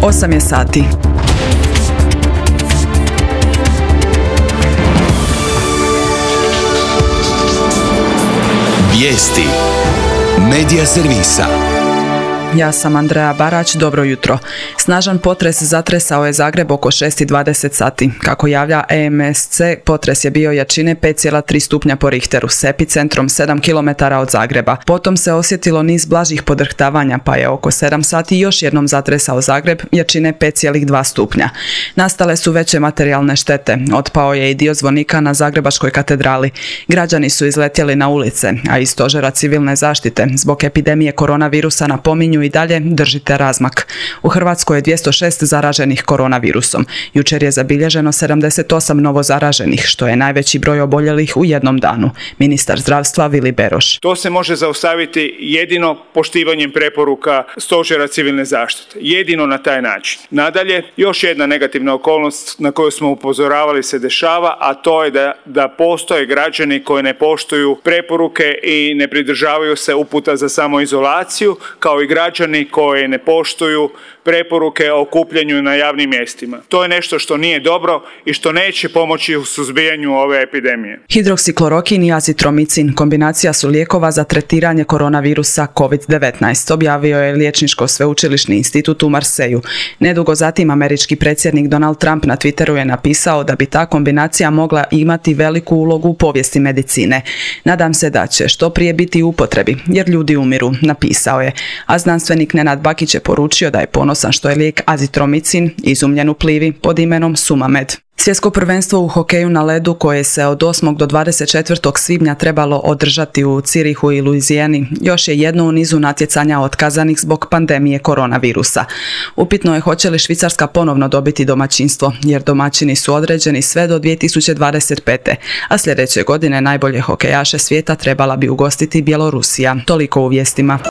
8 je sati. Vijesti Medija servisa. Ja sam Andreja Barać, dobro jutro. Snažan potres zatresao je Zagreb oko 6:20 sati. Kako javlja EMSC, potres je bio jačine 5,3 stupnja po Richteru s epicentrom 7 km od Zagreba. Potom se osjetilo niz blažih podrhtavanja, pa je oko 7 sati još jednom zatresao Zagreb jačine 5,2 stupnja. Nastale su veće materijalne štete. Otpao je i dio zvonika na Zagrebačkoj katedrali. Građani su izletjeli na ulice, a iz stožera civilne zaštite zbog epidemije koronavirusa napominju i dalje držite razmak. U Hrvatskoj je 206 zaraženih koronavirusom. Jučer je zabilježeno 78 novo zaraženih, što je najveći broj oboljelih u jednom danu. Ministar zdravstva Vili Beroš. To se može zaustaviti jedino poštivanjem preporuka stožera civilne zaštite. Jedino na taj način. Nadalje, još jedna negativna okolnost na koju smo upozoravali se dešava, a to je da postoje građani koji ne poštuju preporuke i ne pridržavaju se uputa za samoizolaciju, kao i građani koji ne poštuju preporuke o okupljanju na javnim mjestima. To je nešto što nije dobro i što neće pomoći u suzbijanju ove epidemije. Hidroksiklorokin i azitromicin kombinacija su lijekova za tretiranje koronavirusa COVID-19, objavio je Liječničko sveučilišni institut u Marseju. Nedugo zatim američki predsjednik Donald Trump na Twitteru je napisao da bi ta kombinacija mogla imati veliku ulogu u povijesti medicine. Nadam se da će što prije biti u upotrebi, jer ljudi umiru, napisao je. A znanstvenik Nenad Bakić je poručio da je ponosan što je lijek azitromicin izumljen u Plivi pod imenom Sumamed. Svjetsko prvenstvo u hokeju na ledu koje se od 8. do 24. svibnja trebalo održati u Zürichu i Louisiani još je jedno u nizu natjecanja otkazanih zbog pandemije koronavirusa. Upitno je hoće li Švicarska ponovno dobiti domaćinstvo, jer domaćini su određeni sve do 2025. A sljedeće godine najbolje hokejaše svijeta trebala bi ugostiti Bjelorusija. Toliko u vijestima.